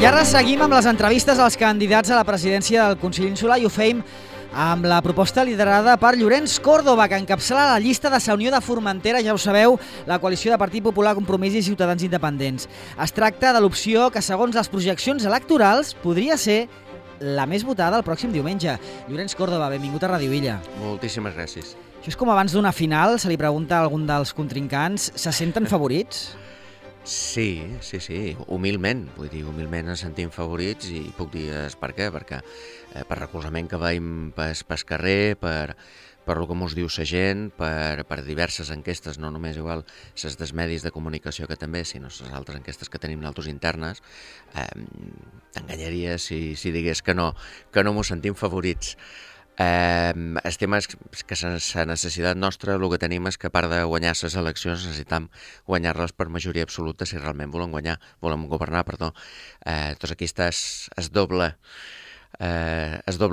I ara seguim amb les entrevistes als candidats a la presidència del Consell Insular i ho feim amb la proposta liderada per Llorenç Córdoba, que encapçala la llista de Sa Unió de Formentera, ja ho sabeu, la coalició de Partit Popular, Compromís i Ciutadans Independents. Es tracta de l'opció que, segons les projeccions electorals, podria ser la més votada el pròxim diumenge. Llorenç Córdoba, benvingut a Ràdio Illa. Moltíssimes gràcies. Això és com abans d'una final, se li pregunta a algun dels contrincants, se senten favorits? Sí, humilment, vull dir, humilment ens sentim favorits i puc dir per què, perquè per recolzament que veiem pel carrer, per el que mos diu la gent, per diverses enquestes, no només igual les dels medis de comunicació que també, sinó les altres enquestes que tenim nosaltres internes, t'enganyaria si digués que no mos sentim favorits. El tema és que la necessitat nostra, el que tenim és que a part de guanyar les eleccions necessitem guanyar-les per majoria absoluta si realment volem governar. Doncs aquí està el doble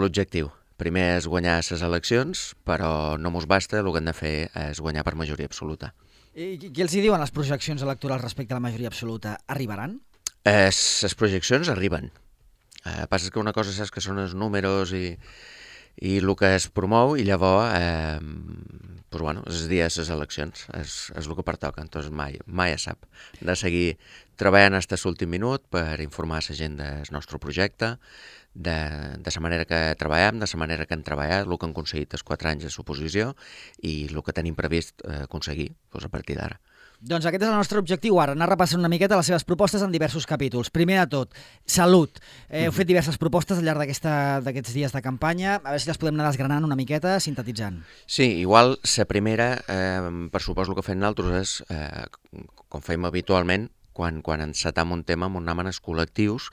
objectiu. Primer és guanyar les eleccions, però no mos basta, el que hem de fer és guanyar per majoria absoluta. I què els diuen les projeccions electorals respecte a la majoria absoluta? Arribaran? Les projeccions arriben. El que passa és que una cosa saps que són els números i el que es promou, i llavors els dies de les eleccions és el que pertoca, doncs mai es sap. Hem de seguir treballant fins a l'últim minut per informar la gent del nostre projecte, de la manera que treballem, de la manera que hem treballat, el que hem aconseguit els 4 anys de suposició i el que tenim previst aconseguir a partir d'ara. Doncs aquest és el nostre objectiu ara, anar repassant una miqueta les seves propostes en diversos capítols. Primer de tot, salut. Heu fet diverses propostes al llarg d'aquests dies de campanya, a veure si les podem anar desgranant una miqueta, sintetitzant. Sí, igual la primera, per suposo el que fem nosaltres és, com fem habitualment, quan encetam un tema amb un nom en els col·lectius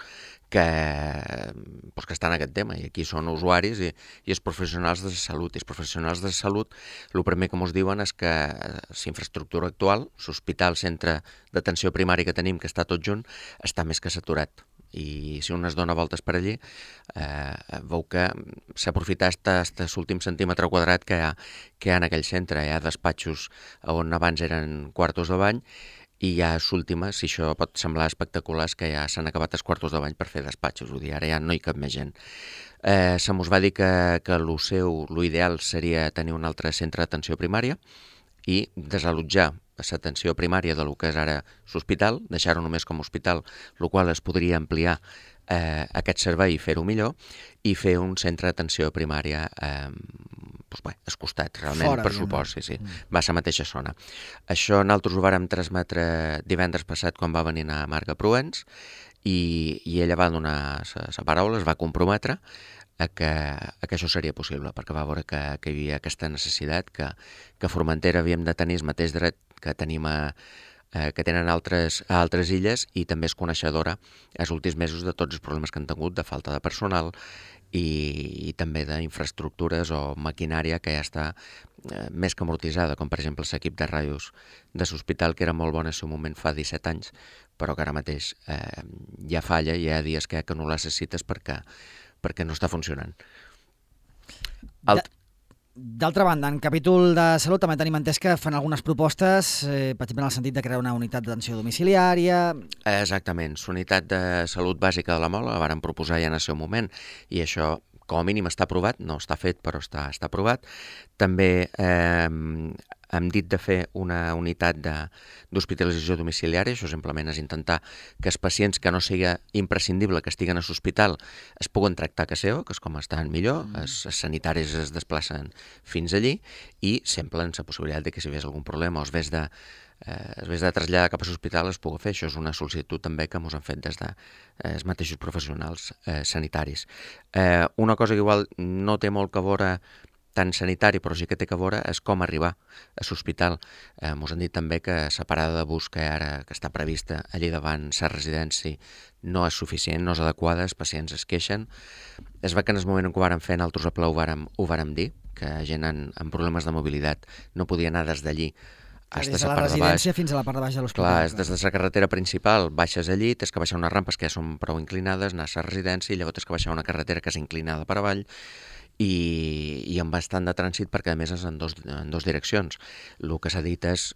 que estan en aquest tema, i aquí són usuaris i els professionals de la salut. I els professionals de la salut, el primer que ens diuen és que la infraestructura actual, l'hospital, centre d'atenció primària que tenim, que està tot junt, està més que saturat. I si un es dona voltes per allí, veu que s'aprofita fins a l'últim centímetre quadrat que hi ha en aquell centre. Hi ha despatxos on abans eren quartos de bany, i ja l'última, si això pot semblar espectacular, és que ja s'han acabat els quartos de bany per fer despatxos, vull dir, ara ja no hi cap més gent. Se mos va dir que l'ideal seria tenir un altre centre d'atenció primària i desallotjar l'atenció primària del que és ara l'hospital, deixar-ho només com a hospital, el qual es podria ampliar aquest servei i fer-ho millor, i fer un centre d'atenció primària als costats, realment, fora, per supost, sí, va a la mateixa zona. Això nosaltres ho vàrem transmetre divendres passat quan va venir a Marga Proens, i ella va donar la paraula, es va comprometre a que això seria possible, perquè va veure que hi havia aquesta necessitat, que a Formentera havíem de tenir el mateix dret que tenim que tenen altres illes, i també és coneixedora els últims mesos de tots els problemes que han tingut de falta de personal i també d'infraestructures o maquinària que ja està més que amortitzada, com per exemple l'equip de ràdios de l'hospital, que era molt bon en el seu moment fa 17 anys, però que ara mateix ja falla, i hi ha dies que no les necessites perquè no està funcionant. D'altra banda, en capítol de salut també tenim entès que fan algunes propostes, per exemple en el sentit de crear una unitat d'atenció domiciliària. Exactament, la unitat de salut bàsica de la Mola la vàrem proposar ja en el seu moment, i això com a mínim està aprovat, no està fet però està aprovat. També hem dit de fer una unitat d'hospitalització domiciliària. Això simplement és intentar que els pacients que no sigui imprescindible que estiguen a l'hospital es puguen tractar a casa seva, que és com estan millor, els sanitaris es desplacen fins allí, i sempre amb la possibilitat de que si hi hagués algun problema o es vés de traslladar cap a l'hospital es pugui fer. Això és una sol·licitud també que ens han fet des dels mateixos professionals sanitaris. Una cosa que igual no té molt que veure tant sanitari, però sí que té que veure és com arribar a l'hospital. Ens han dit també que la parada de bus que està prevista allí davant la residència no és suficient, no és adequada, els pacients es queixen. Es va que en el moment en què ho vàrem fer, nosaltres a Pla ho vàrem dir, que gent amb problemes de mobilitat no podia anar des d'allí des de la residència fins a la part de baix de l'hospital. Clar, des de la carretera principal baixes allí, tens que baixar unes rampes que ja són prou inclinades, anar a la residència, i llavors tens que baixar una carretera que és inclinada per avall, i amb bastant de trànsit perquè a més és en dos direccions. El que s'ha dit és,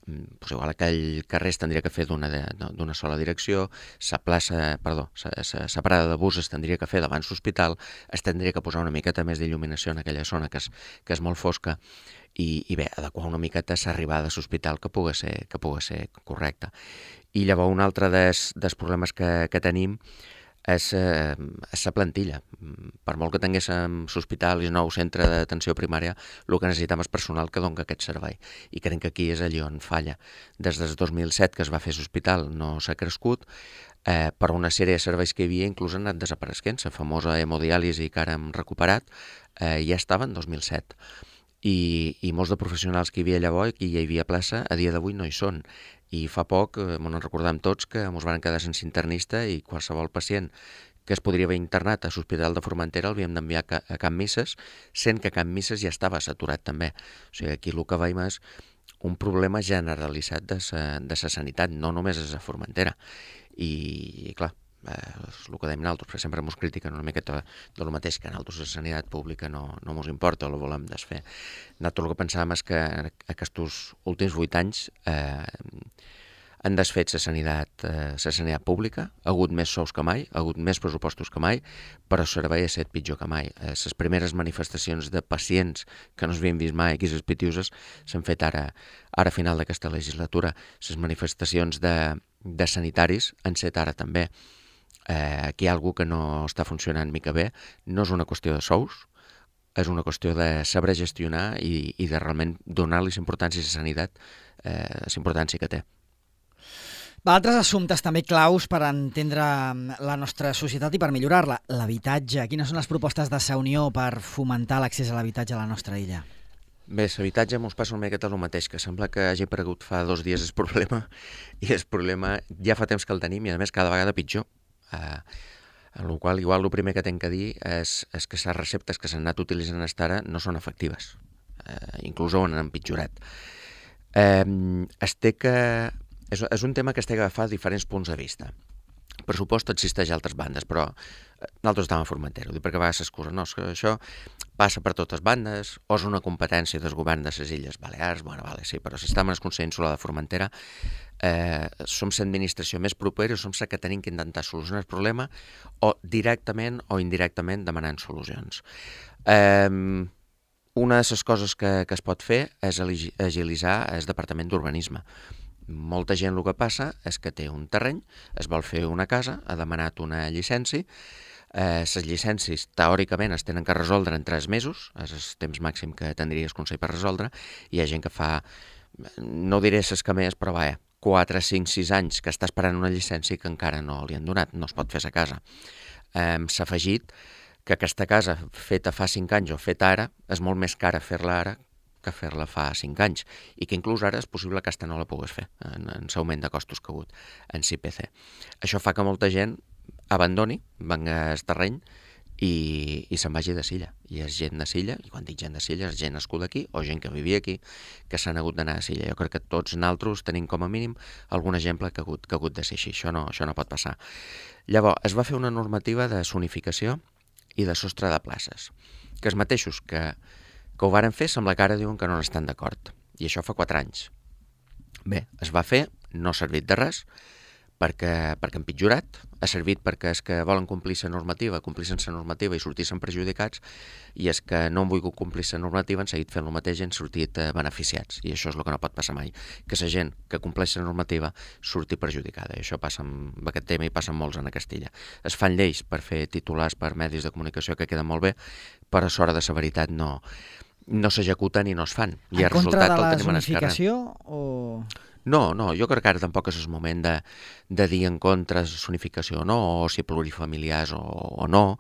igual aquell carrer es tindria que fer d'una sola direcció, la parada de bus es tindria que fer davant l'hospital, es tindria que posar una miqueta més d'il·luminació en aquella zona que és molt fosca i bé, adequar una miqueta l'arribada a l'hospital que pugui ser correcta. I llavors un altre dels problemes que tenim és la plantilla. Per molt que tinguéssim l'hospital i el nou centre d'atenció primària, el que necessitem és personal que doni aquest servei. I crec que aquí és allà on falla. Des del 2007 que es va fer l'hospital no s'ha crescut, per una sèrie de serveis que hi havia inclús han anat desapareixent. La famosa hemodiàlisi que ara hem recuperat ja estava en 2007. I molts de professionals que hi havia llavors, que hi havia plaça, a dia d'avui no hi són. I fa poc, ens recordem tots, que ens van quedar sense internista i qualsevol pacient que es podria haver internat a l'Hospital de Formentera l'havíem d'enviar a Can Misses, sent que Can Misses ja estava saturat també. O sigui, aquí el que veiem és un problema generalitzat de la sanitat, no només és a Formentera. I clar, és el que dèiem nosaltres, perquè sempre ens critiquen una miqueta del mateix, que nosaltres la sanitat pública no ens importa, la volem desfer. Nosaltres el que pensàvem és que aquests últims 8 anys han desfet la sanitat pública, ha hagut més sous que mai, ha hagut més pressupostos que mai, però el servei ha estat pitjor que mai. Les primeres manifestacions de pacients que no s'havien vist mai aquí a les Pitiuses s'han fet ara a final d'aquesta legislatura. Les manifestacions de sanitaris han set ara també. Aquí hi ha alguna que no està funcionant mica bé, no és una qüestió de sous, és una qüestió de saber gestionar i de realment donar-li importància a la sanitat, la importància que té. Altres assumptes també claus per entendre la nostra societat i per millorar-la. L'habitatge. Quines són les propostes de la Unió per fomentar l'accés a l'habitatge a la nostra illa? Bé, l'habitatge ens passa una miqueta el mateix, que sembla que hagi aparegut fa 2 dies el problema, i el problema ja fa temps que el tenim i a més cada vegada pitjor. En la qual igual el primer que tinc que dir és que les receptes que s'han anat utilitzant fins ara no són efectives, inclús ho han empitjorat. És un tema que es té que agafar diferents punts de vista. Per supost existeix a altres bandes, però nosaltres estàvem a Formentera, ho dic perquè a vegades s'excusa, no, és que això passa per totes bandes, o és una competència del govern de les Illes Balears, bueno, vale, sí, però si estem en el Consell Insular de Formentera, som l'administració més propera i som la que tenim que intentar solucionar el problema o directament o indirectament demanant solucions. Una de les coses que es pot fer és agilitzar el Departament d'Urbanisme. Molta gent el que passa és que té un terreny, es vol fer una casa, ha demanat una llicència, les llicències teòricament es tenen que resoldre en 3 mesos, és el temps màxim que tindria el Consell per resoldre, i hi ha gent que fa, no diré ses que més, però 4, 5, 6 anys que està esperant una llicència que encara no li han donat, no es pot fer la casa. S'ha afegit que aquesta casa feta fa 5 anys o feta ara és molt més cara fer-la ara que fer-la fa 5 anys, i que inclús ara és possible que aquesta no la puguis fer en l'augment de costos que ha hagut en CPC. Això fa que molta gent abandoni, venga al terreny i se'n vagi de Silla. I és gent de Silla, i quan dic gent de Silla és gent nascuda aquí o gent que vivia aquí, que s'han hagut d'anar a Silla. Jo crec que tots nosaltres tenim com a mínim algun exemple que ha hagut de ser així. Això no pot passar. Llavors, es va fer una normativa de zonificació i de sostre de places, que els mateixos que ho varen fer sembla que ara diuen que no n'estan d'acord. I això fa 4 anys. Bé, es va fer, no ha servit de res, perquè han empitjorat, ha servit perquè és que volen complir la normativa, complir-se'n la normativa i sortir-se'n perjudicats, i és que no han volgut complir la normativa, han seguit fent el mateix i han sortit beneficiats. I això és el que no pot passar mai, que la gent que compleix la normativa surti perjudicada. I això passa amb aquest tema i passa molts en Castilla. Es fan lleis per fer titulars per medis de comunicació que queden molt bé, però a l'hora de la veritat no s'executen i no es fan. I en contra de la zonificació o...? No, jo crec que ara tampoc és el moment de dir en contra de la zonificació o no, o si plurifamiliars o no.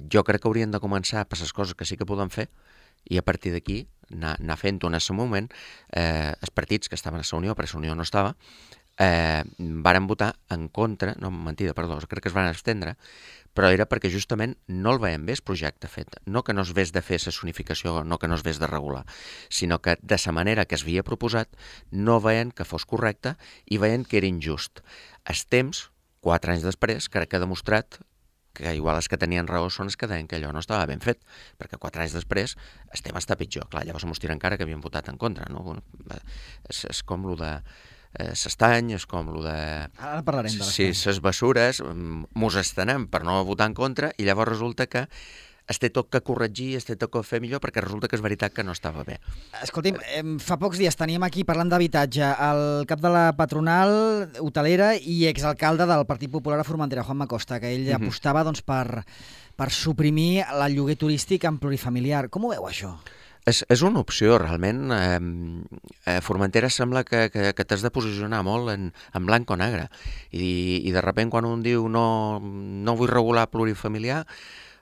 Jo crec que haurien de començar per les coses que sí que poden fer i a partir d'aquí anar fent-ho. En aquest moment, els partits que estaven a la Unió, perquè la Unió no estava, varen votar en contra, no, mentida, perdó, crec que es van abstendre, però era perquè justament no el veiem bé el projecte fet, no que no es vés de fer la zonificació, no que no es vés de regular, sinó que de la manera que es havia proposat no veien que fos correcte i veien que era injust. El temps, 4 anys després, crec que ha demostrat que igual els que tenien raó són els que deien que allò no estava ben fet, perquè 4 anys després el tema està pitjor. Clar, llavors mos tiren encara que havien votat en contra, no? Bueno, és com lo de s'estany, és com lo de... Ara parlarem de l'estany. Sí, ses bessures, mos estenem per no votar en contra i llavors resulta que es té tot que corregir, es té tot que fer millor, perquè resulta que és veritat que no estava bé. Escolti'm, fa pocs dies teníem aquí parlant d'habitatge el cap de la patronal hotelera i exalcalde del Partit Popular a Formentera, Juanma Costa, que ell apostava doncs, per suprimir el lloguer turístic en plurifamiliar. Com ho veu, això? És una opció, realment. Formentera sembla que t'has de posicionar molt en blanc o negre. I de sobte, quan un diu no vull regular plurifamiliar,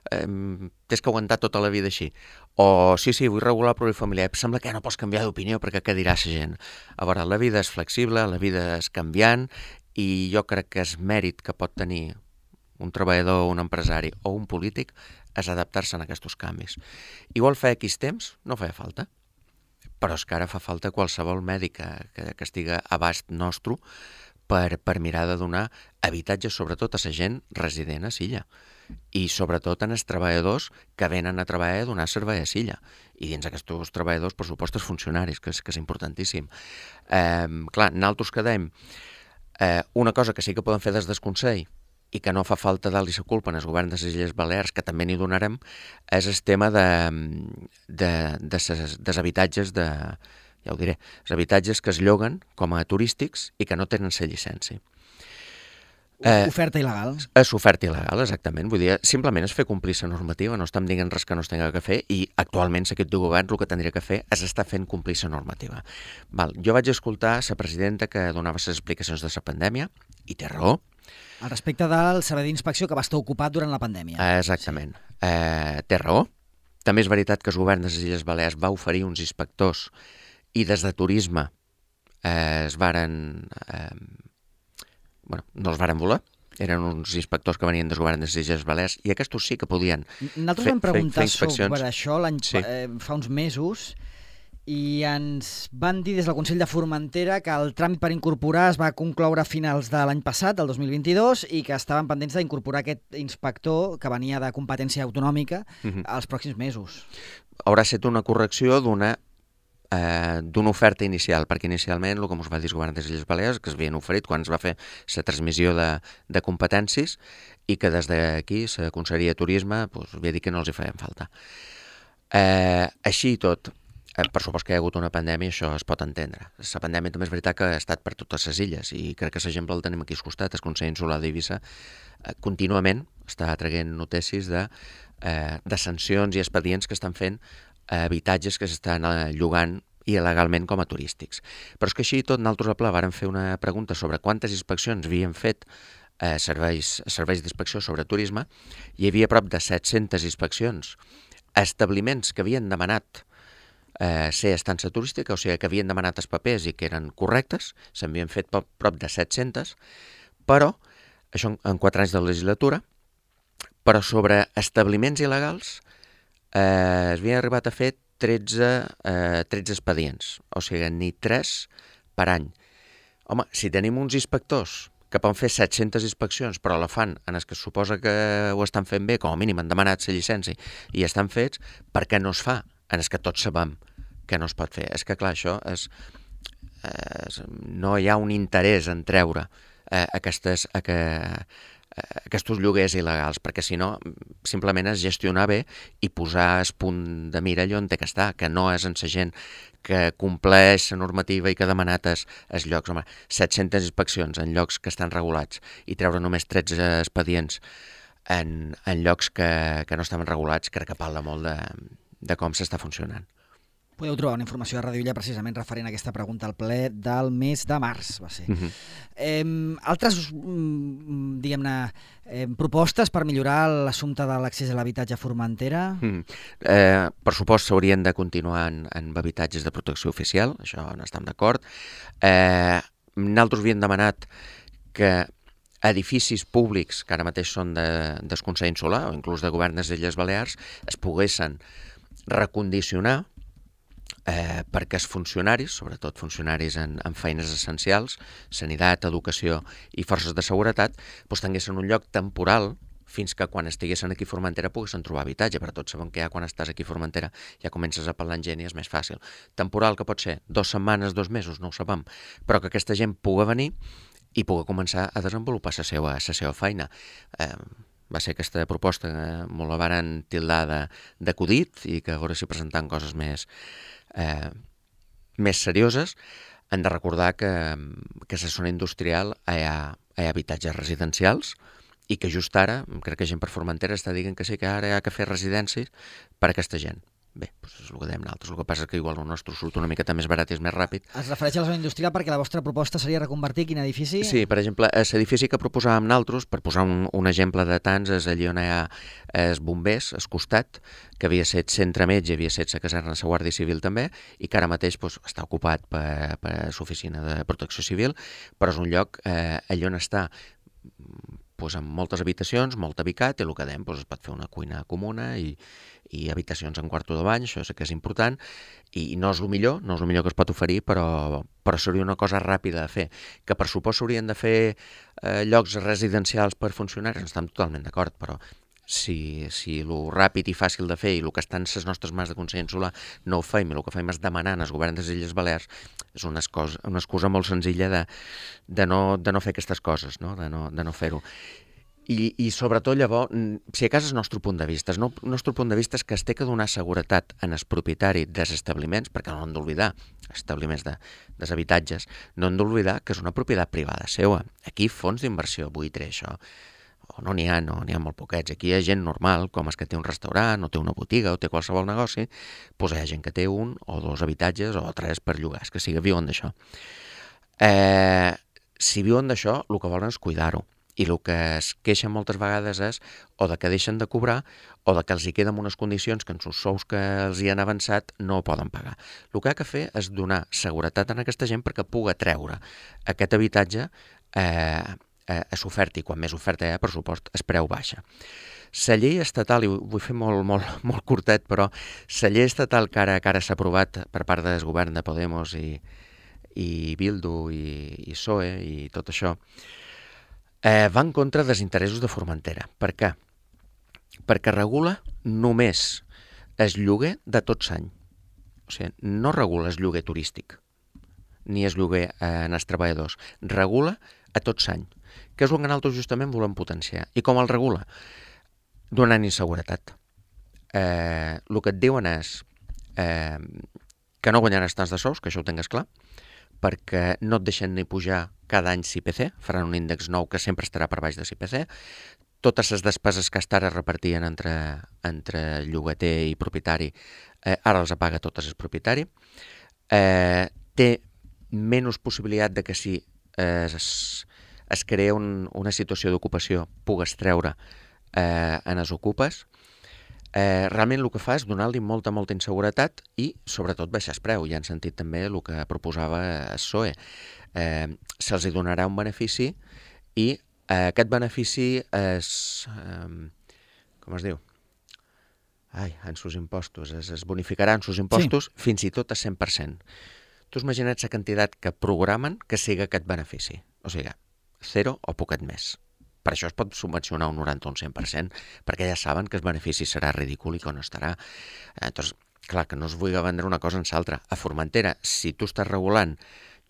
tens que aguantar tota la vida així. O sí, vull regular plurifamiliar, sembla que no pots canviar d'opinió perquè què dirà la gent. A veure, la vida és flexible, la vida és canviant i jo crec que és mèrit que pot tenir un treballador, un empresari o un polític és adaptar-se a aquests canvis. Igual fa X temps no feia falta, però és que ara fa falta qualsevol mèdic que estigui a abast nostre per mirar de donar habitatge sobretot a la gent resident a Silla i sobretot en els treballadors que venen a treballar a donar servei a Silla i dins aquests treballadors, per supost, els funcionaris, que és importantíssim. Clar, nosaltres que dèiem una cosa que sí que poden fer des del Consell i que no fa falta dar-li la culpa en el govern de les Illes Balears, que també n'hi donarem, és el tema dels habitatges ja ho diré, els habitatges que es lloguen com a turístics i que no tenen la llicència. Oferta il·legal. És oferta il·legal, exactament. Vull dir, simplement és fer complir la normativa, no estem dient res que no es tenga que fer i actualment aquest govern el que tindria que fer és estar fent complir la normativa. Jo vaig escoltar la presidenta que donava les explicacions de la pandèmia i té raó. Al respecte del servei d'inspecció que va estar ocupat durant la pandèmia. Exactament. Té raó. També és veritat que el govern de les Illes Balears va oferir uns inspectors i des de turisme no els varen voler. Eren uns inspectors que venien del govern de les Illes Balears i aquests sí que podien Nosaltres vam preguntar sobre això Sí. Fa uns mesos i ens van dir des del Consell de Formentera que el tràmit per incorporar es va concloure a finals de l'any passat, del 2022, i que estaven pendents d'incorporar aquest inspector que venia de competència autonòmica als pròxims mesos. Haurà estat una correcció d'una oferta inicial, perquè inicialment el que ens va dir el govern de les Illes Balears que es havien oferit quan es va fer la transmissió de competències i que des d'aquí la Conselleria de Turisme havia dit que no els hi feien falta. Així i tot, per supost que hi ha hagut una pandèmia, això es pot entendre. La pandèmia també és veritat que ha estat per totes les illes i crec que l'exemple el tenim aquí al costat. El Consell Insular d'Eivissa contínuament està traient notícies de sancions i expedients que estan fent habitatges que s'estan llogant il·legalment com a turístics. Però és que així tot, nosaltres a Pla vàrem fer una pregunta sobre quantes inspeccions havien fet serveis d'inspecció sobre turisme i hi havia prop de 700 inspeccions a establiments que havien demanat ser estança turística, o sigui que havien demanat els papers i que eren correctes, s'havien fet prop de 700, però, això en 4 anys de legislatura, però sobre establiments il·legals es havien arribat a fer 13 expedients, o sigui, ni 3 per any. Home, si tenim uns inspectors que poden fer 700 inspeccions, però la fan en els que es suposa que ho estan fent bé, com a mínim han demanat la llicència i estan fets, per què no es fa en els que tots sabem que no es pot fer? És que, clar, això no hi ha un interès en treure aquests lloguers il·legals, perquè si no, simplement és gestionar bé i posar el punt de mira allò on té que estar, que no és en la gent que compleix la normativa i que ha demanat els llocs. Home, 700 inspeccions en llocs que estan regulats i treure només 13 expedients en llocs que no estaven regulats, crec que parla molt de com s'està funcionant. Podeu trobar una informació a Radio Illa precisament referent a aquesta pregunta al ple del mes de març, va ser. Altres, diguem-ne, propostes per millorar l'assumpte de l'accés a l'habitatge a Formentera? Per supost, s'haurien de continuar en habitatges de protecció oficial, això n'estem d'acord. Nosaltres havíem demanat que edificis públics, que ara mateix són del Consell Insular o inclús de govern de les Illes Balears, es poguessin recondicionar perquè els funcionaris, sobretot funcionaris en feines essencials, sanitat, educació i forces de seguretat, tinguessin un lloc temporal fins que quan estiguessin aquí a Formentera poguessin trobar habitatge, però tots sabem que ja quan estàs aquí a Formentera ja comences a parlar amb gent i és més fàcil. Temporal, que pot ser 2 setmanes, 2 mesos, no ho sabem, però que aquesta gent pugui venir i pugui començar a desenvolupar la seva feina. Va ser aquesta proposta que molt la varen tildar d'acudit i que a veure si presentant coses més serioses. Hem de recordar que a la zona industrial hi ha habitatges residencials i que just ara, crec que gent per Formentera està dient que sí, que ara hi ha que fer residències per a aquesta gent. Bé, doncs és el que dèiem nosaltres. El que passa és que igual el nostre surt una miqueta més barat i és més ràpid. Es refereix a la zona industrial perquè la vostra proposta seria reconvertir quin edifici? Sí, per exemple, l'edifici que proposàvem nosaltres, per posar un exemple de tants, és allà on hi ha els bombers, al costat, que havia estat centre metge, havia estat la caserna de la Guàrdia Civil també, i que ara mateix està ocupat per l'oficina de protecció civil, però és un lloc allà on està amb moltes habitacions, molt ubicat, i el que dèiem, es pot fer una cuina comuna i habitacions en quarto de bany, això sí que és important, i no és el millor que es pot oferir, però seria una cosa ràpida de fer. Que per supost s'haurien de fer llocs residencials per funcionaris, estem totalment d'acord, però si el ràpid i fàcil de fer i el que està en les nostres mans de Consell Insular no ho fem, i el que fem és demanar al govern de les Illes Balears, és una excusa molt senzilla de no fer aquestes coses, no? De no fer-ho. I sobretot llavors, si a cas és el nostre punt de vista, el nostre punt de vista és que es té que donar seguretat en el propietari dels establiments, perquè no hem d'oblidar, establiments dels habitatges, no hem d'oblidar que és una propietat privada seva. Aquí fons d'inversió, buitre, això, no n'hi ha molt poquets. Aquí hi ha gent normal, com és que té un restaurant, o té una botiga, o té qualsevol negoci, doncs hi ha gent que té 1 o 2 habitatges o 3 per llogar, és que viuen d'això. Si viuen d'això, el que volen és cuidar-ho. I el que es queixen moltes vegades és o de que deixen de cobrar o de que els hi queden unes condicions que en els sous que els hi han avançat no poden pagar. El que ha de fer és donar seguretat a aquesta gent perquè pugui treure aquest habitatge a l'oferta, i quan més oferta hi ha, per supost, el preu baixa. La llei estatal, i ho vull fer molt curtet, però la llei estatal que ara s'ha aprovat per part del govern de Podemos i Bildu i PSOE i tot això, va en contra dels interessos de Formentera. Per què? Perquè regula només el lloguer de tot l'any. O sigui, no regula el lloguer turístic, ni el lloguer en els treballadors. Regula a tot l'any, que és el que nosaltres justament volem potenciar. I com el regula? Donant inseguretat. El que et diuen és que no guanyaràs tants de sous, que això ho tingues clar, perquè no et deixen ni pujar cada any l'IPC, faran un índex nou que sempre estarà per baix de l'IPC, totes les despeses que ara es repartien entre llogater i propietari, ara els apaga totes el propietari, té menys possibilitat de que si es crea una situació d'ocupació pugues treure en els ocupes. Realment el que fa és donar-li molta inseguretat i sobretot baixar el preu. Ja han sentit també el que proposava el PSOE. Se'ls donarà un benefici i aquest benefici es diu? En sus impostos. Es bonificarà en sus impostos fins i tot a 100%. Tu imagina't la quantitat que programen que sigui aquest benefici. O sigui, 0 o poquet més. Per això es pot subvencionar un 90 o un 100%, perquè ja saben que el benefici serà ridícul i que no estarà. Doncs, clar, que no es vulgui vendre una cosa en l'altra. A Formentera, si tu estàs regulant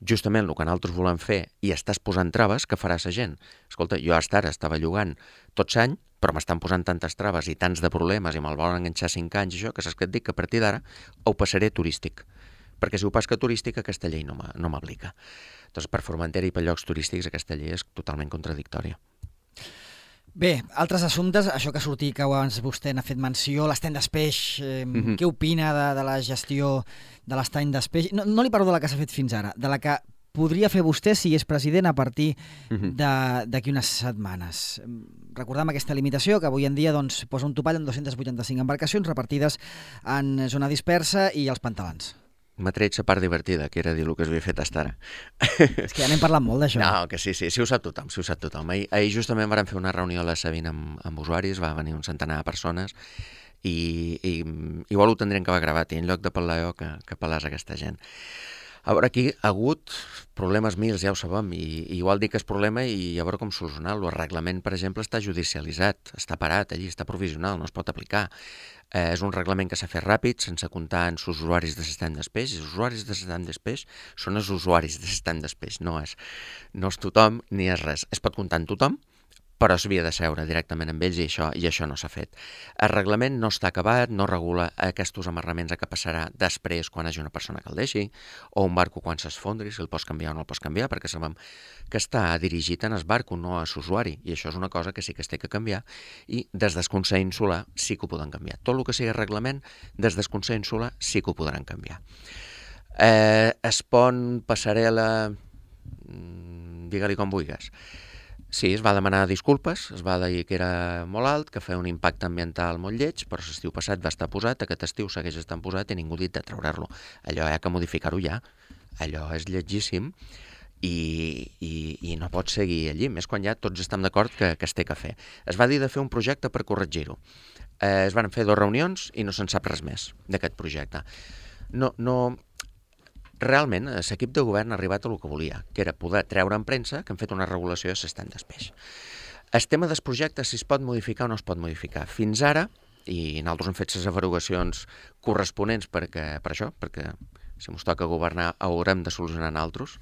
justament el que nosaltres volem fer i estàs posant traves, què farà la gent? Escolta, jo hasta ara estava llogant tot l'any, però m'estan posant tantes traves i tants de problemes i me'l volen enganxar 5 anys i això, que saps que et dic que a partir d'ara ho passaré turístic. Perquè si ho pas que turístic, aquesta llei no m'aplica. Doncs per Formentera i per llocs turístics aquesta llei és totalment contradictòria. Bé, altres assumptes, això que ha sortit, que abans vostè n'ha fet menció, l'estany d'Espeix, què opina de la gestió de l'estany d'Espeix? No li parlo de la que s'ha fet fins ara, de la que podria fer vostè si és president a partir d'aquí unes setmanes. Recordem aquesta limitació que avui en dia posa un topall en 285 embarcacions repartides en zona dispersa i els pantalans. M'ha tret la part divertida, que era dir el que s'havia fet fins ara. És que ja n'hem parlat molt d'això. No, que sí, ho sap tothom, Ahir justament vam fer una reunió a la Sabina amb usuaris, va venir un centenar de persones i igual ho tindrem que haver gravat i en lloc de parlar jo que parlàs aquesta gent. A veure, aquí ha hagut problemes mils, ja ho sabem, i igual dic que és problema i a veure com solucionar-lo. El reglament, per exemple, està judicialitzat, està parat allí, està provisional, no es pot aplicar. És un reglament que s'ha fet ràpid, sense comptar en els usuaris de System d'Espeix. Els usuaris de System d'Espeix són els usuaris de System d'Espeix, no és tothom ni és res. Es pot comptar en tothom, però s'havia de seure directament amb ells i això no s'ha fet. El reglament no està acabat, no regula aquests amarraments a què passarà després quan hi hagi una persona que el deixi, o un barco quan s'esfondri, si el pots canviar o no el pots canviar, perquè sabem que està dirigit en el barco, no a l'usuari, i això és una cosa que sí que es té que canviar, i des del Consell Insular sí que ho poden canviar. Tot el que sigui reglament, des del Consell Insular sí que ho podran canviar. Es pont, passarel·la, digue-li com vulguis. Sí, es va demanar disculpes, es va dir que era molt alt, que feia un impacte ambiental molt lleig, però l'estiu passat va estar posat, aquest estiu segueix estant posat i ningú ha dit de treure-lo. Allò hi ha que modificar-ho ja, allò és lletgíssim i no pot seguir allí, més quan ja tots estem d'acord que es té que fer. Es va dir de fer un projecte per corregir-ho. Es van fer 2 reunions i no se'n sap res més d'aquest projecte. Realment, l'equip de govern ha arribat a el que volia, que era poder treure en premsa que han fet una regulació de System d'Espeix. El tema dels projectes, si es pot modificar o no es pot modificar. Fins ara, i nosaltres hem fet les avaluacions corresponents per això, perquè si ens toca governar haurem de solucionar nosaltres,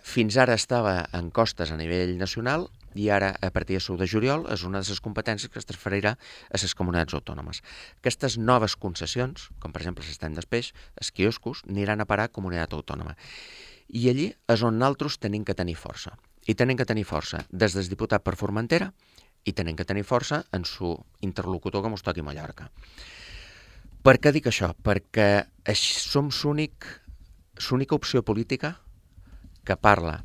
fins ara estava en costes a nivell nacional i ara, a partir del 1 de juliol, és una de les competències que es transferirà a les comunitats autònomes. Aquestes noves concessions, com per exemple System d'Espeix, els quioscos, aniran a parar a comunitat autònoma. I allí és on nosaltres tenim que tenir força. I tenim que tenir força des del diputat per Formentera i tenim que tenir força en su interlocutor que ens toqui a Mallorca. Per què dic això? Perquè som l'única opció política que parla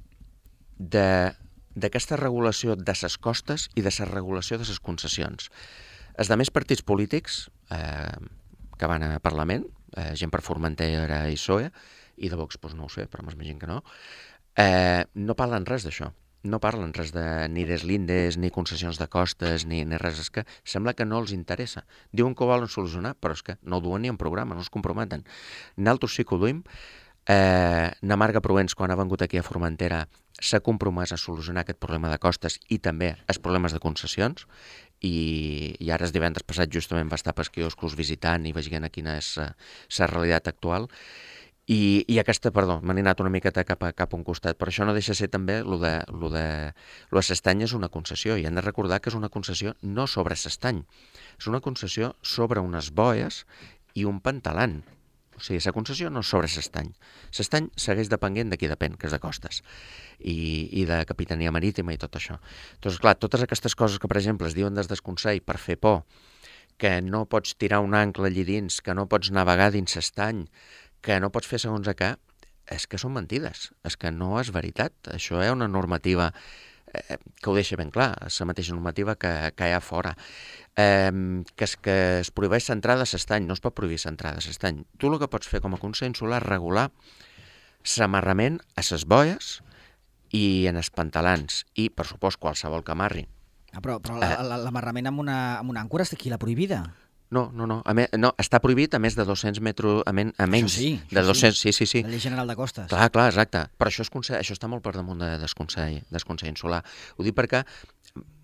d'aquesta regulació de les costes i de la regulació de les concessions. Els altres partits polítics que van a Parlament, gent per Formentera i PSOE, i de Vox doncs no ho sé, però m'imagino que no, no parlen res d'això. No parlen res ni deslindes, ni concessions de costes, ni res. És que sembla que no els interessa. Diuen que ho volen solucionar, però és que no ho duen ni en programa, no es comprometen. Nosaltres sí que ho duim. Na Marga Provens, quan ha vengut aquí a Formentera, s'ha compromès a solucionar aquest problema de costes i també els problemes de concessions i ara el divendres passat justament va estar pels quioscos visitant i veient quina és la realitat actual i aquesta, perdó, m'han anat una miqueta cap a un costat, però això no deixa de ser també lo de l'estany és una concessió i hem de recordar que és una concessió no sobre l'estany, és una concessió sobre unes boies i un pantalant. O sigui, la concessió no és sobre l'estany. L'estany segueix depenent de qui depèn, que és de costes, i de capitania marítima i tot això. Doncs, clar, totes aquestes coses que, per exemple, es diuen des del Consell per fer por, que no pots tirar un ancle allí dins, que no pots navegar dins l'estany, que no pots fer segons a què, és que són mentides, és que no és veritat. Això és una normativa que ho deixa ben clar, és la mateixa normativa que hi ha fora. Que es prohibeix l'entrada a l'estany, no es pot prohibir l'entrada a l'estany. Tu el que pots fer com a Consell Insular és regular l'amarrament a les boies i en els pantalans i, per supost, qualsevol que amarri. Però l'amarrament amb una àncora està aquí, la prohibida. No, està prohibit a més de 200 metres, a menys de 200, sí. La llei general de costes. Clar, exacte. Però això està molt per damunt del Consell Insular. Ho dic perquè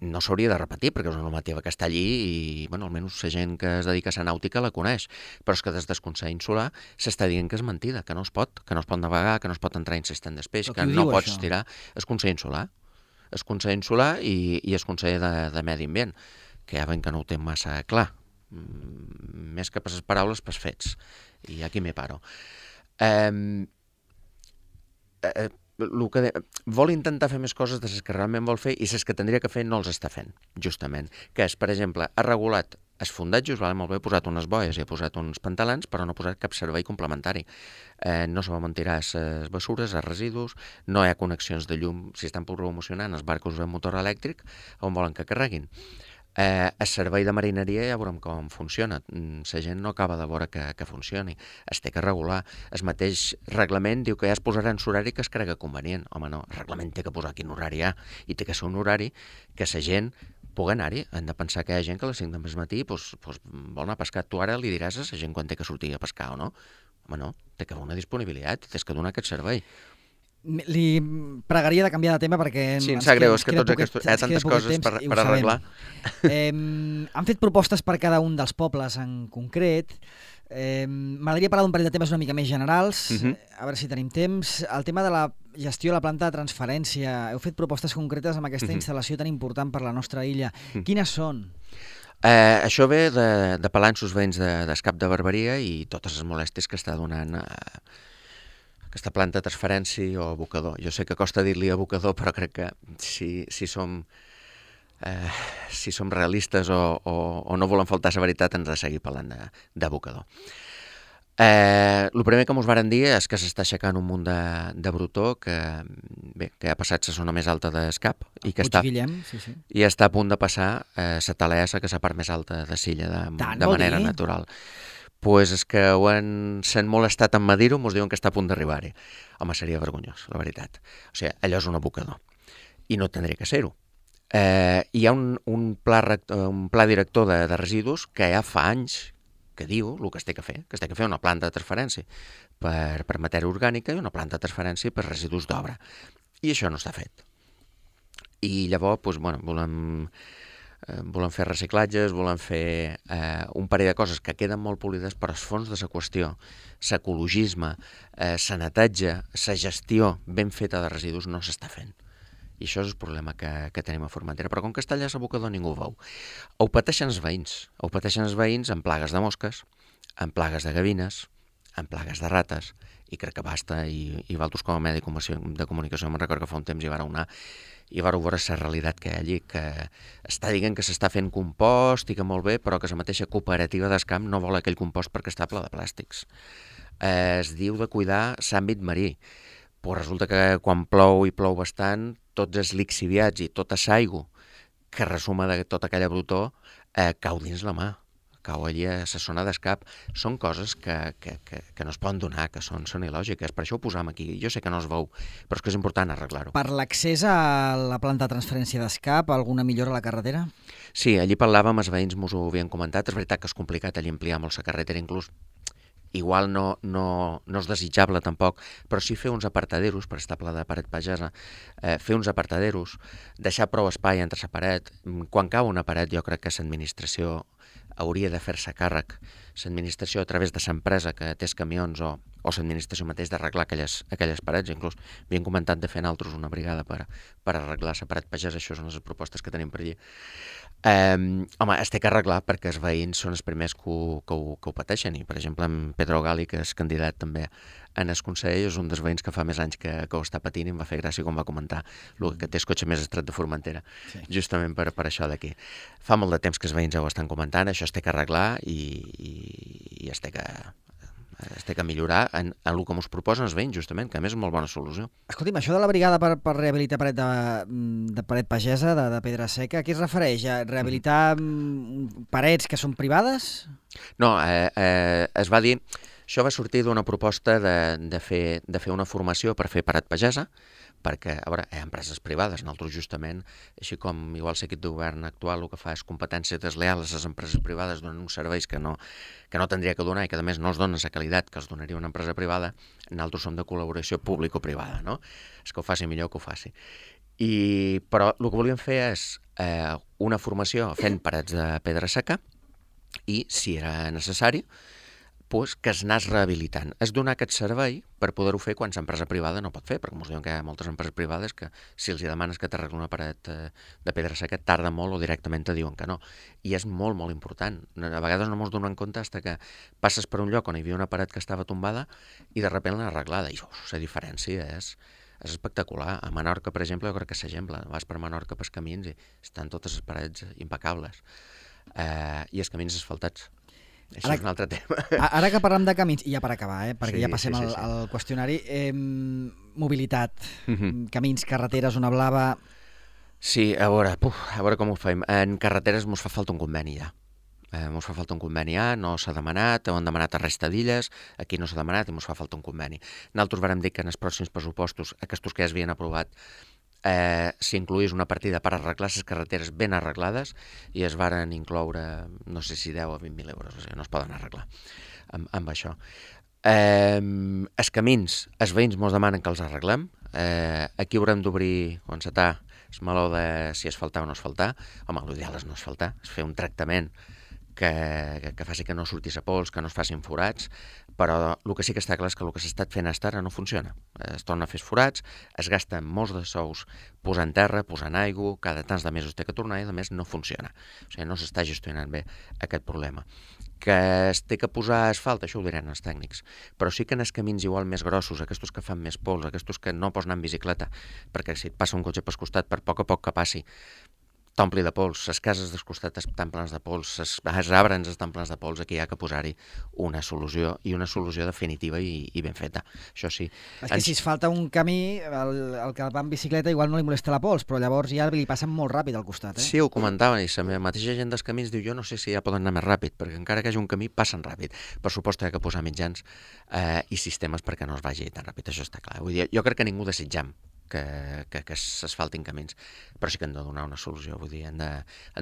no s'hauria de repetir, perquè és una normativa que està allí i, bueno, almenys la gent que es dedica a la nàutica la coneix, però és que des del Consell Insular s'està dient que és mentida, que no es pot navegar, que no es pot entrar en System d'Espeix, que no pots tirar. És Consell Insular. És Consell Insular i és Consell de Medi Ambient, que ja veiem que no ho té massa clar. Més que per les paraules, pels fets. I aquí m'hi paro. Vol intentar fer més coses de les que realment vol fer i les que tindria que fer no els està fent, justament. Que és, per exemple, ha regulat els fondatges, molt bé, ha posat unes boies i ha posat uns pantalans, però no ha posat cap servei complementari. No se van tirar les bessures, els residus, no hi ha connexions de llum. Si estan promocionant els barcos amb motor elèctric, on volen que carreguin? El servei de marineria ja veurem com funciona. La gent no acaba de veure que funcioni. Es té que regular. El mateix reglament diu que ja es posarà en l'horari que es crega convenient. Home, no, el reglament té que posar quin horari hi ha i té que ser un horari que la gent pugui anar-hi. Hem de pensar que hi ha gent que a les 5 del matí vol anar a pescar. Tu ara li diràs a la gent quan té que sortir a pescar o no? Home, no, té que haver una disponibilitat, tens que donar aquest servei. Li pregaria de canviar de tema perquè Sí, em sap greu, és que tots aquests... Hi ha tantes coses per arreglar. Han fet propostes per cada un dels pobles en concret. M'agradaria parlar d'un parell de temes una mica més generals, a veure si tenim temps. El tema de la gestió de la planta de transferència. Heu fet propostes concretes amb aquesta instal·lació tan important per la nostra illa. Quines són? Això ve de pelanços veïns d'Escap de Barberia i totes les molèsties que està donant aquesta planta de transferència o abocador. Jo sé que costa dir-li abocador, però crec que si som realistes o no volem faltar a la veritat, ens ha de seguir parlant d'abocador. El primer que ens varen dir és que s'està aixecant un munt de brutó que ha passat la zona més alta d'Escap i que està a punt de passar la Talesa, que és la part més alta de Silla, de manera natural. Pues és que s'han molestat en dir-ho, ens diuen que està a punt d'arribar-hi. Home, seria vergonyós, la veritat. O sigui, allò és un abocador. I no tindria que ser-ho. Hi ha un pla director de residus que ja fa anys que diu el que es té que fer una planta de transferència per matèria orgànica i una planta de transferència per residus d'obra. I això no està fet. I llavors, volem fer reciclatges, volem fer un parell de coses que queden molt polides, però els fons de la qüestió, l'ecologisme, la netatge, la gestió ben feta de residus no s'està fent. I això és el problema que tenim a Formentera. Però com que està allà l'abocador ningú ho veu. Ho pateixen els veïns amb plagues de mosques, amb plagues de gavines, amb plagues de rates, i crec que basta, i vosaltres com a medi de comunicació me'n recordo que fa un temps hi vareu anar i vareu veure la realitat que hi ha allí, que està dient que s'està fent compost i que molt bé, però que la mateixa cooperativa d'Escamp no vol aquell compost perquè està ple de plàstics. Es diu de cuidar l'àmbit marí, però resulta que quan plou i plou bastant, tots els lixiviats i tota l'aigua que resuma de tota aquella brutor cau dins la mà, cau allí a la zona d'Escap. Són coses que no es poden donar, que són il·lògiques. Per això ho posam aquí. Jo sé que no es veu, però és que és important arreglar-ho. Per l'accés a la planta de transferència d'Escap, alguna millora a la carretera? Sí, allí parlàvem, els veïns m'ho havien comentat. És veritat que és complicat allí ampliar molt la carretera, inclús igual no és desitjable tampoc, però sí fer uns apartaderos, per estar ple de paret pagesa, fer uns apartaderos, deixar prou espai entre la paret. Quan cau una paret, jo crec que l'administració hauria de fer-se càrrec, l'administració a través de l'empresa que té els camions o l'administració mateix d'arreglar aquelles parets. Inclús havien comentat de fer nosaltres una brigada per arreglar la paret pagesa. Això són les propostes que tenim per allí. Home, es té que arreglar perquè els veïns són els primers que ho pateixen, i per exemple en Pedro Gali, que és candidat també en el Consell, és un dels veïns que fa més anys que ho està patint, i em va fer gràcia com va comentar el que té el cotxe més estret de Formentera, justament per això d'aquí. Fa molt de temps que els veïns ho estan comentant, això es té que arreglar i es té que millorar en el que ens proposen els veïns, justament, que a més és molt bona solució. Escolti'm, això de la brigada per rehabilitar paret de paret pagesa, de pedra seca, a què es refereix? A rehabilitar parets que són privades? No, es va dir... Això va sortir d'una proposta de fer una formació per fer paret pagesa, perquè, a veure, hi ha empreses privades. Nosaltres, justament, així com igual l'equip de govern actual el que fa és competència desleal a les empreses privades, donen uns serveis que no tindria que donar i que, a més, no es donen la qualitat que es donaria una empresa privada. Nosaltres som de col·laboració público-privada, no? És que ho faci millor que ho faci. Però el que volíem fer és una formació fent parets de pedra seca i, si era necessari, que es anés rehabilitant. És donar aquest servei per poder-ho fer quan l'empresa privada no pot fer, perquè ens diuen que hi ha moltes empreses privades que si els demanes que t'arregli una paret de pedra seca tarda molt o directament te diuen que no. I és molt, molt important. A vegades no ens donem compte fins que passes per un lloc on hi havia una paret que estava tombada i de sobte l'han arreglada. I la diferència és espectacular. A Menorca, per exemple, jo crec que s'exemple. Vas per Menorca pels camins i estan totes les parets impecables. I els camins asfaltats. Això és un altre tema. Ara que parlem de camins, i ja per acabar, perquè ja passem al qüestionari, mobilitat, camins, carreteres, una blava... Sí, a veure com ho fem. En carreteres ens fa falta un conveni ja. Ens fa falta un conveni ja, no s'ha demanat, ho han demanat a resta d'illes, aquí no s'ha demanat i ens fa falta un conveni. Nosaltres vàrem dir que en els pròxims pressupostos, aquests que ja s'havien aprovat, s'incluís una partida per arreglar les carreteres ben arreglades i es varen incloure, no sé si 10 o 20.000 euros, o sigui, no es poden arreglar amb això. Els camins, els veïns mos demanen que els arreglem. Aquí haurem d'obrir, o encetar, el meló de si asfaltar o no asfaltar. Home, l'ideal és no asfaltar, és fer un tractament que faci que no surti sa pols, que no es facin forats, però el que sí que està clar és que el que s'ha estat fent fins ara no funciona. Es torna a fer forats, es gasten molts de sous posant terra, posant aigua, cada tants de mesos té que tornar i a més no funciona. O sigui, no s'està gestionant bé aquest problema. Que es té que posar asfalt, això ho diran els tècnics, però sí que en els camins igual més grossos, aquests que fan més pols, aquests que no pots anar en bicicleta, perquè si et passa un cotxe pel costat, per poc a poc que passi, t'ompli de pols, les cases del costat estan plens de pols, els arbres estan plens de pols, aquí hi ha que posar-hi una solució, i una solució definitiva i ben feta. Això sí. És que si es falta un camí, el que va en bicicleta igual no li molesta la pols, però llavors ja li passen molt ràpid al costat. Sí, ho comentaven, i la mateixa gent dels camins diu jo no sé si ja poden anar més ràpid, perquè encara que hi hagi un camí passen ràpid. Per supost hi ha que posar mitjans i sistemes perquè no es vagi tan ràpid, això està clar. Vull dir, jo crec que ningú desitjam que s'asfaltin camins, però sí que hem de donar una solució, vull dir, hem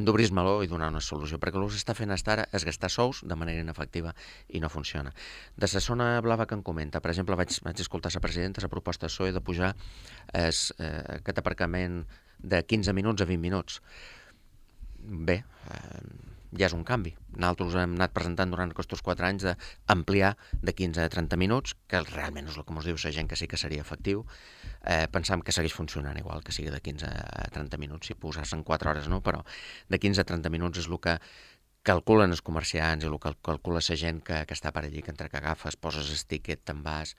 d'obrir el meló i donar una solució, perquè el que s'està fent fins ara és gastar sous de manera inefectiva i no funciona. De la zona blava que em comenta, per exemple, vaig escoltar la presidenta, la proposta PSOE de pujar aquest aparcament de 15 minuts a 20 minuts. Bé, ja és un canvi. Nosaltres hem anat presentant durant aquests 4 anys d'ampliar de 15 a 30 minuts, que realment és el que ens diu la gent que sí que seria efectiu. Pensam que segueix funcionant igual, que sigui de 15 a 30 minuts, si posar en 4 hores no, però de 15 a 30 minuts és el que calculen els comerciants i el que calcula la gent que està per allí, que entre que agafes, poses el tiquet, te'n vas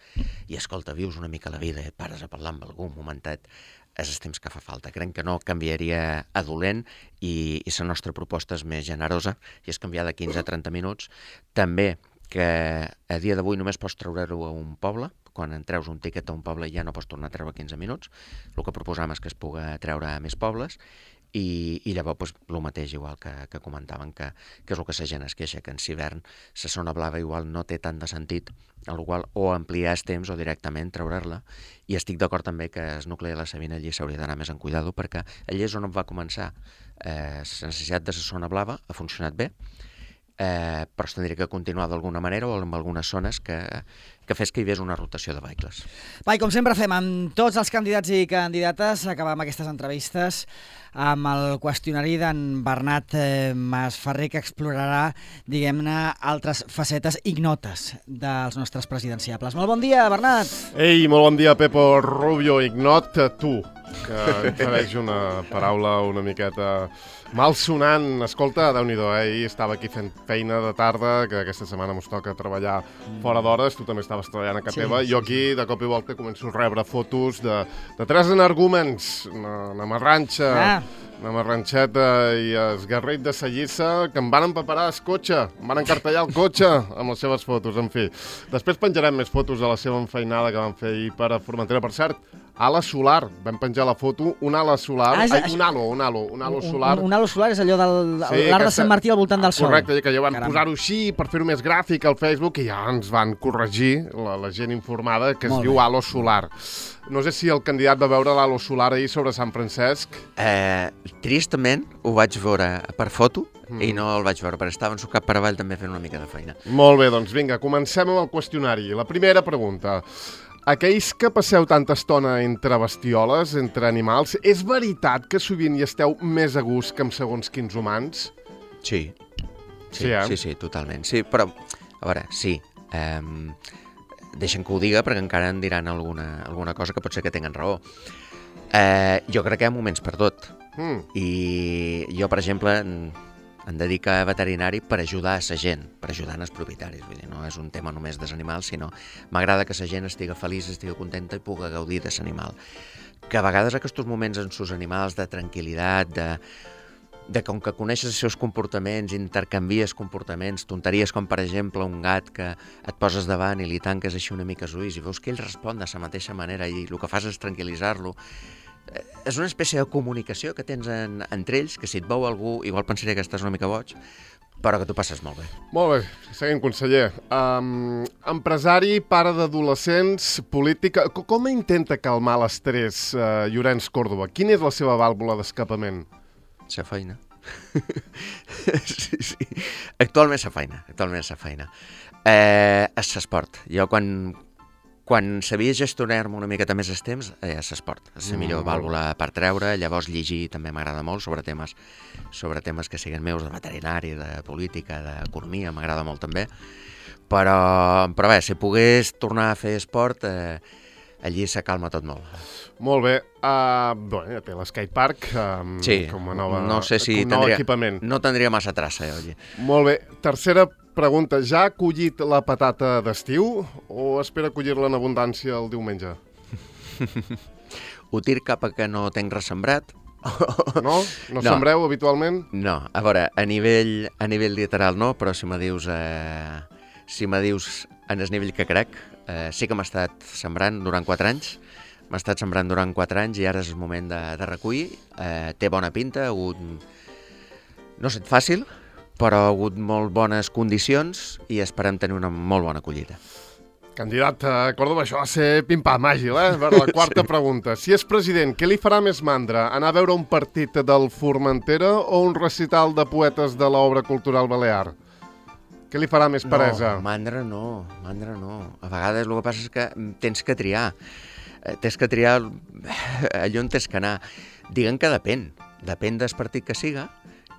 i escolta, vius una mica la vida i et pares a parlar amb algú un momentet, és el temps que fa falta. Crec que no canviaria a dolent i la nostra proposta és més generosa i és canviar de 15 a 30 minuts. També que a dia d'avui només pots treure-ho a un poble, quan en treus un tiquet a un poble ja no pots tornar a treure 15 minuts. El que proposam és que es pugui treure a més pobles i llavors el mateix igual que comentaven, que és el que la gent es queixa, que en hivern la zona blava igual no té tant de sentit, al qual o ampliar els temps o directament treure-la, i estic d'acord també que el nucli de la Sabina allí s'hauria d'anar més en cuidado, perquè allí és on va començar la necessitat de la zona blava, ha funcionat bé, però es tindria que continuar d'alguna manera o en algunes zones que fes que hi hagués una rotació de vehicles. Va, i com sempre fem amb tots els candidats i candidates, acabam aquestes entrevistes amb el qüestionari d'en Bernat Masferrer, que explorarà, diguem-ne, altres facetes ignotes dels nostres presidenciables. Molt bon dia, Bernat! Ei, molt bon dia, Pepo Rubio, ignot tu, que em fareix una paraula una miqueta malsonant. Escolta, Déu-n'hi-do, ahir estava aquí fent feina de tarda, que aquesta setmana ens toca treballar fora d'hores, tu també estaves treballant a casa teva, jo aquí de cop i volta començo a rebre fotos de tres energúmens, una marranxa, una marranxeta i el garret de Sallissa, que em van empaperar el cotxe, em van encartellar el cotxe amb les seves fotos, en fi. Després penjarem més fotos de la seva enfeinada que van fer ahir per a Formentera. Per cert, ala solar, vam penjar la foto, un ala solar, un halo solar. Un halo solar és allò de l'arc de Sant Martí al voltant del sol. Correcte, que ja van posar-ho així per fer-ho més gràfic al Facebook i ja ens van corregir la gent informada que es diu halo solar. No sé si el candidat va veure l'halo solar ahir sobre Sant Francesc. Tristament ho vaig veure per foto i no el vaig veure, perquè estava en su cap per avall també fent una mica de feina. Molt bé, doncs vinga, comencem amb el qüestionari. La primera pregunta. Aquells que passeu tanta estona entre bestioles, entre animals, és veritat que sovint hi esteu més a gust que amb segons quins humans? Sí, totalment. Sí, però, a veure, sí. Deixen que ho diga perquè encara en diran alguna cosa que pot ser que tenen raó. Jo crec que hi ha moments per tot. I jo, per exemple, em dedico a veterinari per ajudar a la gent, per ajudar els propietaris. Vull dir, no és un tema només dels animals, sinó m'agrada que la gent estigui feliç, estigui contenta i pugui gaudir de l'animal. Que a vegades aquests moments en sus animals de tranquil·litat, de com que coneixes els seus comportaments, intercanvies comportaments, tonteries com per exemple un gat que et poses davant i li tanques així una mica els ulls i veus que ell respon de la mateixa manera i el que fas és tranquil·litzar-lo. És una espècie de comunicació que tens entre ells, que si et veu algú igual pensaria que estàs una mica boig, però que tu passes molt bé. Molt bé, seguim, conseller. Empresari, pare d'adolescents, política... Com intenta calmar l'estrès Llorenç Córdoba? Quina és la seva vàlvula d'escapament? La feina. Sí. Actualment sa feina. És l'esport. Jo quan sabia gestionar-me una miqueta més els temps, és l'esport. És la millor vàlvula per treure. Llavors llegir també m'agrada molt sobre temes que siguin meus, de veterinari, de política, d'economia, m'agrada molt també. Però bé, si pogués tornar a fer esport, allí se calma tot molt. Molt bé. Ja té l'skatepark com a nou equipament. No tindria massa traça, allí. Molt bé. Tercera pregunta. Ja ha collit la patata d'estiu o espera collir-la en abundància el diumenge? Ho tir cap a que no tenc ressembrat. No? No sembreu habitualment? No. A veure, a nivell literal no, però si me dius en el nivell que crec, sí que m'ha estat sembrant durant 4 anys. M'ha estat sembrant durant 4 anys i ara és el moment de recollir. Té bona pinta, no ha estat fàcil, però ha hagut molt bones condicions i esperem tenir una molt bona collita. Candidat a Còrdova, això va ser pim-pam, àgil, eh? Per la quarta pregunta. Si és president, què li farà més mandra? Anar a veure un partit del Formentera o un recital de poetes de l'obra cultural balear? Què li farà més peresa? No, mandra no. A vegades el que passa és que tens que triar. Allò on tens que anar. Diguem que depèn del partit que siga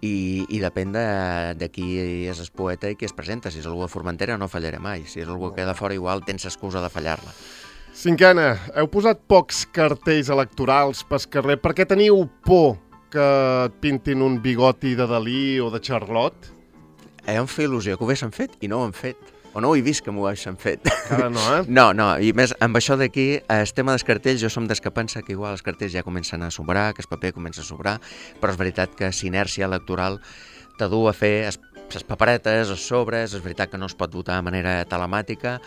i depèn de qui és el poeta i qui es presenta. Si és algú de Formentera no fallaré mai. Si és algú que de fora igual tens excusa de fallar-la. Cinquena, heu posat pocs cartells electorals pel carrer perquè teniu por que et pintin un bigoti de Dalí o de Charlotte? Em fa il·lusió que ho haguessin fet i no ho han fet. O no ho he vist que m'ho haguessin fet. Encara no, eh? No, i més, amb això d'aquí, el tema dels cartells, jo som des que pensa que igual els cartells ja comencen a sobrar, que el paper comença a sobrar, però és veritat que sinèrcia electoral t'adu a fer les paperetes, els sobres, és veritat que no es pot votar de manera telemàtica,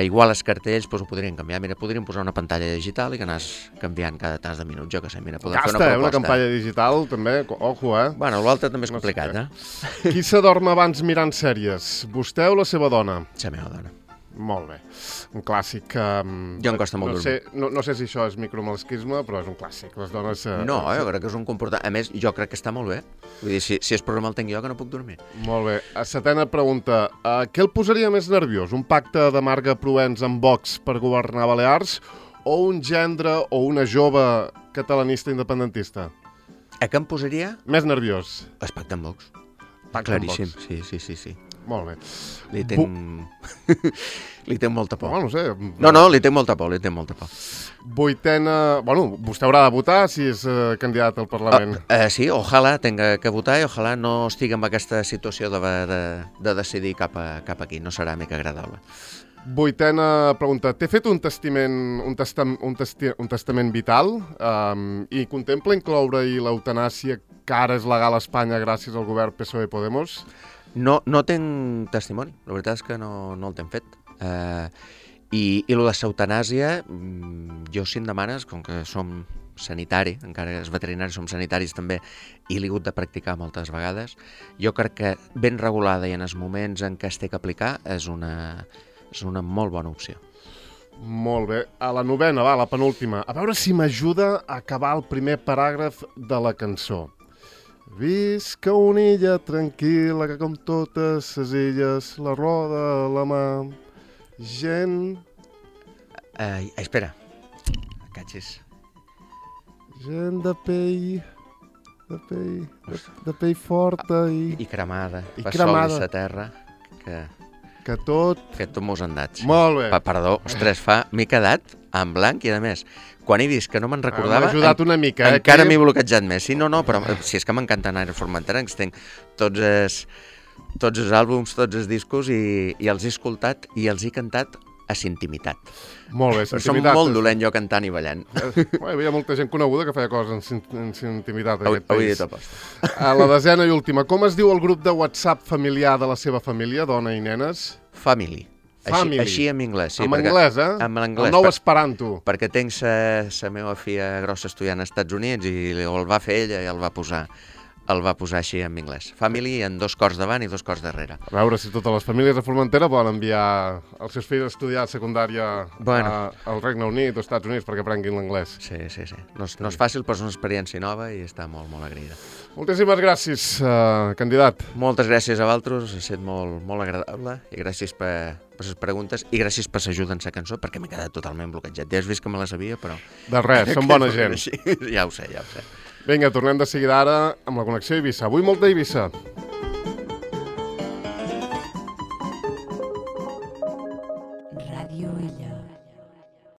igual els cartells ho podrien canviar. Mira, podrien posar una pantalla digital i que anàs canviant cada tants de minuts, jo que sé. Mira, podem fer una proposta. Una campanya digital, també, ojo, eh? Bueno, l'altre també és complicat, Qui s'adorm abans mirant sèries? Vostè o la seva dona? La meva dona. Molt bé. Un clàssic. Jo em costa molt dormir. No sé si això és micromalesquisme, però és un clàssic. Les dones... No, jo crec que és un comportament... A més, jo crec que està molt bé. Vull dir, si el programa el tinc jo, que no puc dormir. Molt bé. Setena pregunta. Què el posaria més nerviós? Un pacte de Marga Proens amb Vox per governar Balears o un gendre o una jove catalanista independentista? Què em posaria? Més nerviós. El pacte amb Vox. Claríssim, sí. Molt bé. Li tenc molta por. No sé. No, li tenc molta por. Vuitena... Bueno, vostè haurà de votar si és candidat al Parlament. Sí, ojalà tenga que votar i ojalà no estigui en aquesta situació de decidir cap aquí. No serà mica agradable. Vuitena pregunta. T'he fet un testament vital i contempla incloure-hi l'eutanàsia que ara és legal a Espanya gràcies al govern PSOE-Podemos? No tinc testimoni, la veritat és que no el tenc fet. I el de l'eutanàsia, jo si em demanes, com que som sanitari, encara que els veterinaris som sanitaris també, i l'he hagut de practicar moltes vegades, jo crec que ben regulada i en els moments en què es té que aplicar és una molt bona opció. Molt bé. A la novena, la penúltima. A veure si m'ajuda a acabar el primer paràgraf de la cançó. Visca una illa tranquil·la que com totes les illes la roda a la mà. Gent... Espera. Catxis. Gent de pell forta i... I cremada. I per cremada. Sol i sa terra. Que tot mos andats. Molt bé. Perdó, ostres, m'he quedat en blanc i a més, quan he vist que no me'n recordava... M'ha ajudat una mica, encara m'he bloquejat més. Sí, no, però si és que m'encanta anar a Formentera, que tenc tots els àlbums, tots els discos i els he escoltat i els he cantat a l'intimitat. Molt bé, però som molt dolent jo cantant i ballant. Hi havia molta gent coneguda que feia coses en intimitat en aquest país. Avui dit aposta. A la desena i última, com es diu el grup de WhatsApp familiar de la seva família, dona i nenes? Family. Així en anglès. Sí, en anglès, eh? En anglès. El nou esperanto. Perquè tenc la meva filla grossa estudiant als Estats Units i el va fer ella i el va posar el va posar així en anglès. Family en 2 cors davant i 2 cors darrere. A veure si totes les famílies de Formentera poden enviar els seus fills a estudiar secundària al Regne Unit o Estats Units perquè aprenguin l'anglès. Sí. No és fàcil, però és una experiència nova i està molt, molt agraïda. Moltíssimes gràcies, candidat. Moltes gràcies a vosaltres, ha estat molt, molt agradable i gràcies per les preguntes i gràcies per l'ajuda en la cançó perquè m'he quedat totalment bloquejat. Ja has vist que me la sabia, però... De res, som bona gent. Ja ho sé. Vinga, tornem de seguida ara amb la connexió Eivissa. Avui molta Eivissa.